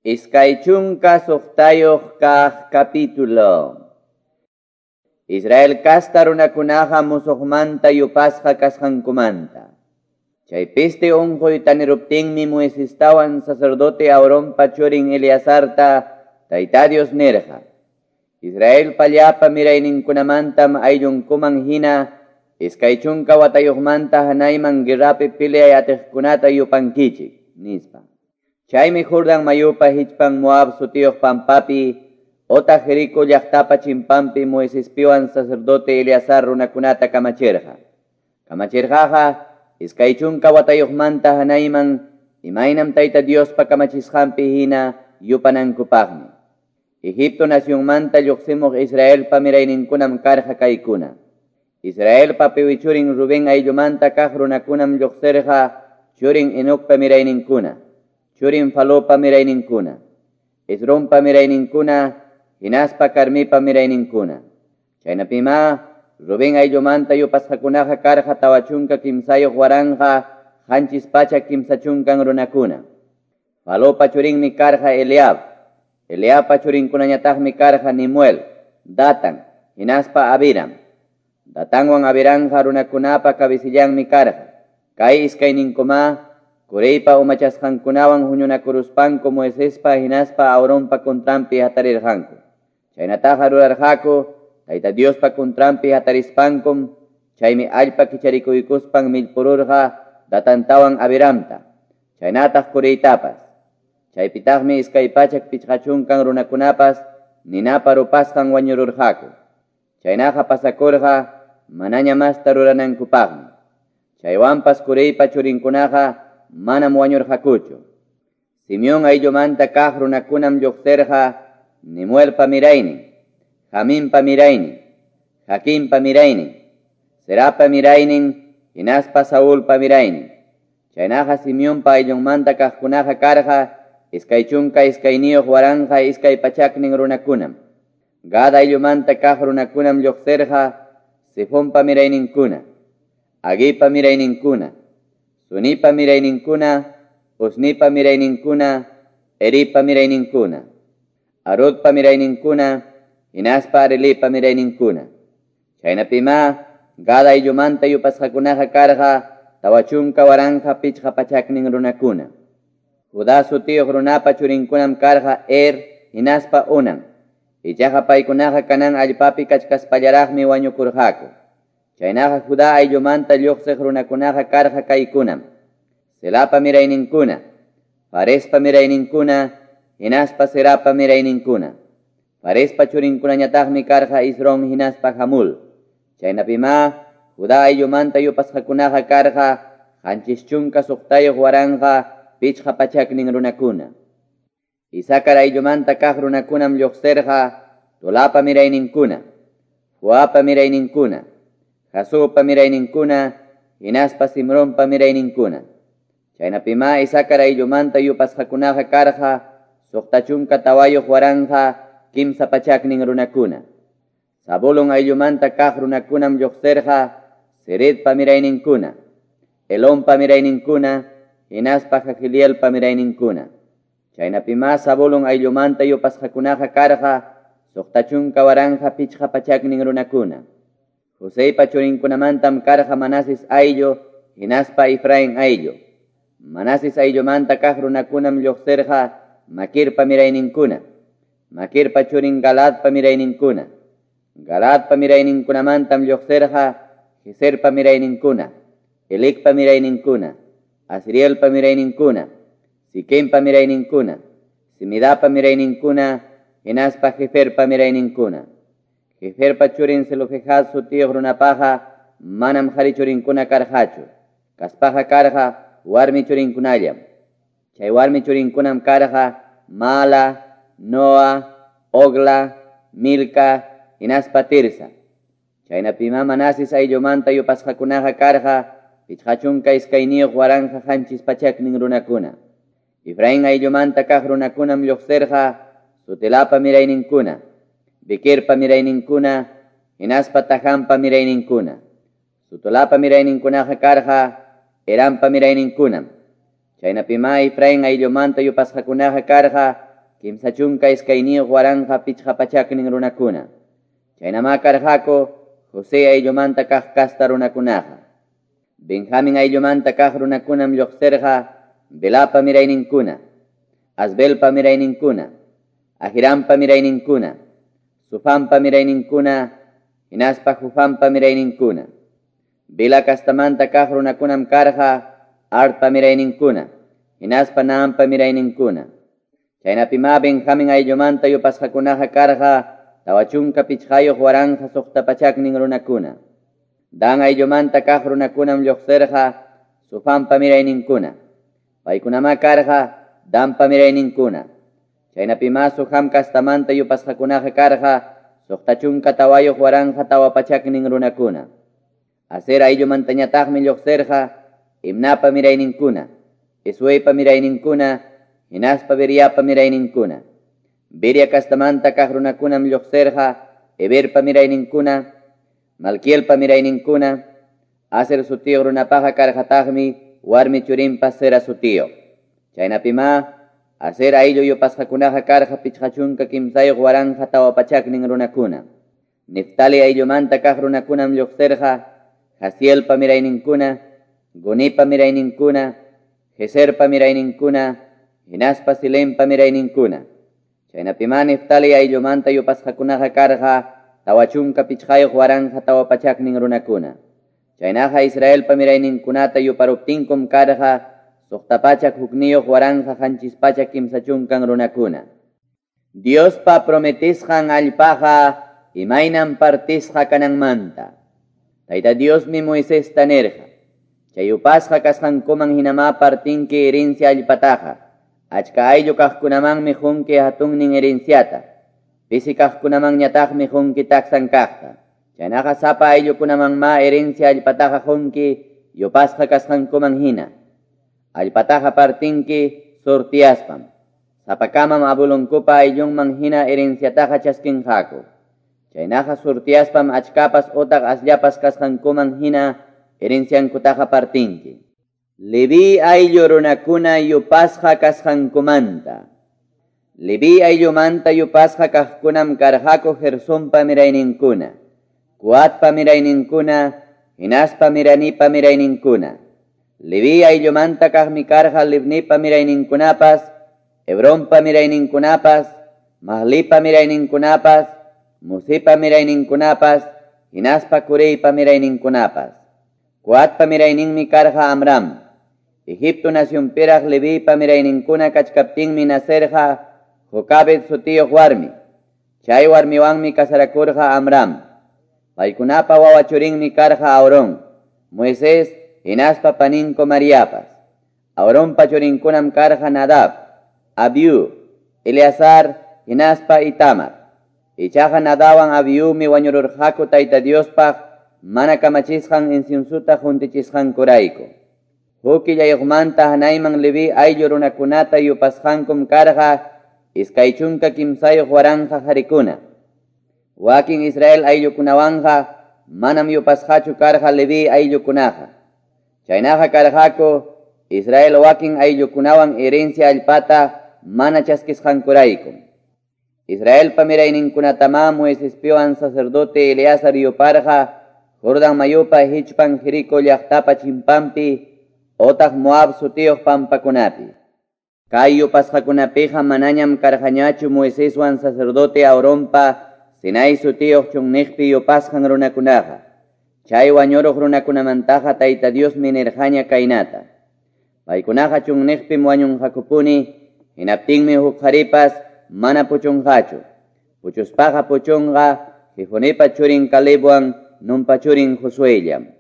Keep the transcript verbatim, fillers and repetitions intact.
Iskay chunka suqtayuq kaq capítulo. Israel kasta runakunaqa musuqmanta yupasqa kasqankumanta. Chay peste unquy taniruptinmi Moisestawan sacerdote Aaronpa churin Eleazarta Tayta Dios nirqa: Israelpa llapa mirayninkunamantam ayllunkuman hina iskay chunka watayuqmanta hanayman guerrapi peleay atiqkunata yupankichik, nispa. Chaymi Jordán mayupa hichpan Moab sutiyuq pampapi otaq Jericó llaqtapa chimpanpi Moisespiwan sacerdote Eleazar runakunata kamachirqa. Kamachirqaqa iskay chunka watayuqmanta hanayman imaynam Tayta Diospa kamachisqanpi hina yupanankupaqmi. Egipto nacionmanta lluqsimuq Israelpa mirayninkunam karqa kaykuna. Israelpa piwi churin Rubén ayllumanta kaq runakunam lluqsirqa churin Enocpa mirayninkuna, churin Falopa mirayninkuna, Esrompa mirayninkuna, hinaspa Carmipa mirayninkuna. Chaynapima Rubén ayllumanta yupasqakunaqa karqa tawa chunka kimsayuq waranqa qanchis pachak kimsa chunkan runakuna. Falopa churinmi karqa Eliab. Eliabpa churinkunañataqmi karqa Nemuel, Datan, hinaspa Abiram. Datanwan Abiramqa runakunapa kabisillanmi karqa. Kay iskayninkuma Coreypa umachasqankunawan huñunakuruspanku Moisespa hinaspa Aaronpa contranpi hatarirqanku. Chaynataqa rurarqaku Tayta Diospa contranpi hatarispankum, chaymi allpa kicharikuykuspan millpururqa Datantawan Abiramta, chaynataq Coreytapas. Chaypitaqmi iskay pachak pichqa chunkan runakunapas ninapa rupasqan wañururqaku. Chaynaqa pasakurqa manaña masta ruranankupaqmi. Chaywanpas Coreypa churinkunaqa manam wañurqakuchu. Simeón ayllumanta kaq runakunam lluqsirqa Nemuelpa miraynin, Jaminpa miraynin, Jaquimpa miraynin, Zerapa miraynin, hinaspa Saulpa miraynin. Chaynaqa Simeonpa ayllunmanta kaqkunaqa karqa iskay chunka iskayniyuq waranqa iskay pachaknin runakunam. Gad ayllumanta kaq runakunam lluqsirqa Sifonpa mirayninkuna, Aguipa mirayninkuna, Sunipa mirayninkuna, Usnipa mirayninkuna, Eripa mirayninkuna, Arodpa mirayninkuna, hinaspa Arelipa mirayninkuna. Chaynapima Gad ayllumanta yupasqakunaqa karqa tawa chunka waranqa pichqa pachaknin runakuna. Judá sutiyuq runapa churinkunam karqa Er hinaspa Onan. Ichaqa paykunaqa Canaán allpapi kachkaspallaraqmi wañukurqaku. Chaynaqa Judá ayllumanta lluqsiq runakunaqa karqa kaykunam: Selapa mirayninkuna, Farespa mirayninkuna, hinaspa Zerapa mirayninkuna. Farespa churinkunañataqmi karqa Esrón hinaspa Hamul. Chaynapima Judá ayllumanta yupasqakunaqa karqa qanchis chunka suqtayuq waranqa pichqa pachaknin runakuna. Isacar ayllumanta kaq runakunam lluqsirqa Tolapa mirayninkuna, Fuapa mirayninkuna, Jasupa mirayninkuna, hinaspa Simronpa mirayninkuna. Chaynapima Isacar ayllumanta yupasqakunaqa karqa suqta chunka tawayuq waranqa kimsa pachaknin runakuna. Zabulón ayllumanta kaq runakunam lluqsirqa Seredpa mirayninkuna, Elonpa mirayninkuna, hinaspa Jahilielpa mirayninkuna. Chaynapima Zabulón ayllumanta yupasqakunaqa karqa suqta chunka waranqa pichqa pachaknin runakuna. Joseypa churinkunamantam karqa Manases ayllu hinaspa Efraín ayllu. Manases ayllumanta kaq runakunam lluqsirqa Maquirpa mirayninkuna, Maquirpa churin Galadpa mirayninkuna. Galadpa mirayninkunamantam lluqsirqa Jeserpa mirayninkuna, Elecpa mirayninkuna, Asrielpa mirayninkuna, Siquempa mirayninkuna, Semidapa mirayninkuna, hinaspa Jeferpa mirayninkuna. Jeferpa churin Zelofehad sutiyuq runapaqa manam qhari churinkuna karqachu. Kaspaqa karqa warmi churinkunallam. Chay warmi churinkunam karqa Mala, Noa, Ogla, Milca, hinaspa Tirsa. Chaynapima Manases ayllumanta yupasqakunaqa karqa pichqa chunka iskayniyuq waranqa qanchis pachaknin runakuna. Efraín ayllumanta kaq runakunam lluqsirqa Sutelapa mirayninkuna, Bequerpa mirayninkuna, hinaspa Tajanpa mirayninkuna. Sutolapa mirayninkunaqa karqa Eranpa mirayninkunam. Chaynapima Efraín ayllumanta yupasqakunaqa karqa kimsa chunka iskayniyuq waranqa pichqa pachaknin runakuna. Chaynamá karqaku José ayllumanta kaq kasta runakunaqa. Benjamin ayllumanta kaq runakunam lluqsirqa Belapa mirayninkuna, Asbelpa mirayninkuna, Ahirampa mirayninkuna, Sufampa mirayninkuna, hinaspa Jufampa mirayninkuna. Bela kastamanta kaq runakunam karqa Artpa mirayninkuna, hinaspa Naampa mirayninkuna. Chaynapimá Benjamin ayllumanta yupasqakunaqa karqa tawa chunka pichqayuq waranqa suqta pachaknin runakuna. Dan ayllumanta kaq runakunam lluqsirqa Sufampa mirayninkuna. Paykunamá karqa Danpa mirayninkuna. Chaynapimá Suham kastamanta yupasqakunaqa karqa suqta chunka tawayuq waranqa tawa pachaknin runakuna. Aser ayllumantañataqmi lluqsirqa Imnapa mirayninkuna, Isueypa mirayninkuna, hinaspa Beriapa mirayninkuna. Beria kastamanta kaq runakunam lluqsirqa Eberpa mirayninkuna, Malquielpa mirayninkuna. Aser sutiyuq runapaqa karqataqmi warmi churinpa Sera sutiyuq. Chaynapimá Aser ayllu yupasqakunaqa karqa pichqa chunka kimsayuq waranqa tawa pachaknin runakuna. Neftali ayllumanta kaq runakunam lluqsirqa Jazielpa mirayninkuna, Gunipa mirayninkuna, Jeserpa mirayninkuna, hinaspa Silempa mirayninkuna. Chaynapimá Neftali ayllumanta yupasqakunaqa karqa tawa chunka pichqayuq waranqa tawa pachaknin runakuna. Chaynaqa Israelpa mirayninkunata yuparuptinkum karqa suqta pachak hukniyuq waranqa qanchis pachak kimsa chunkan runakuna. Diospa prometisqan allpaqa imaynam partisqa kananmanta. Tayta Diosmi Moisesta nirqa: Chay yupasqa kasqankuman hinamá partinki herencia allpataqa. Achka ayllu kaqkunamanmi qunki hatunnin herenciata. Pisi kaqkunamanñataqmi qunki taksan kaqta. Chaynaqa sapa ayllukunamanmá herencia allpataqa qunki yupasqa kasqankuman hina. Allpataqa partinki sortiaspam. Sapakamam abulunkupa ayllunman hina herenciataqa chaskinqaku. Chaynaqa sortiaspam achkapas otaq asllapas kasqankuman hina herenciankutaqa partinki. Leví ayllu runakuna yupasqa kasqankumanta. Leví ayllumanta yupasqa kaqkunam karqaku Gersonpa mirayninkuna, Coatpa mirayninkuna, hinaspa Miranipa mirayninkuna. Leví ayllumanta kaqmi karqa Libnipa mirayninkunapas, Hebronpa mirayninkunapas, Mahlipa mirayninkunapas, Musipa mirayninkunapas, hinaspa Coreypa mirayninkunapas. Coatpa mirayninmi karqa Amram. Egipto nacionpiraq Levipa mirayninkuna kachkaptinmi nacerqa Jocabed sutiyuq warmi. Chay warmiwanmi kasarakurqa Amram. Paykunapa wawa churinmi karqa Aarón, Moisés, hinaspa paninko Mariapas. Aaronpa churinkunam karqa Nadab, Abiú, Eleazar, hinaspa Itamar. Ichaqa Nadawan Abiúmi wañururqaku Tayta Diospaq mana kamachisqan inciensuta juntichisqankurayku. Huk killayuqmanta hanayman Leví ayllu runakunata yupasqankum karqa iskay chunka kimsayuq waranqa qarikuna. Wakin Israel ayllukunawanqa manam yupasqachu karqa Leví ayllukunaqa. Chaynaqa karqaku Israel wakin ayllukunawan herencia allpata mana chaskisqankurayku. Israelpa mirayninkunatamá Moisespiwan sacerdote Eleazar yuparqa Jordán mayupa hichpan Jericó llaqtapa chimpampi otaq Moab sutiyuq pampakunapi. Kay yupasqakunapiqa manañam karqañachu Moiseswan sacerdote Aaronpa Sinai sutiyuq chunniqpi yupasqan runakunaqa. Chay wañuruq runakunamantaqa Tayta Diosmi nirqaña kaynata: Paykunaqa chunniqpim wañunqakupuni, hinaptinmi huk qharipas mana puchunqachu. Puchuspaqa puchunqa Jefonipa churin Calebwan Nunpa churin Josuellam.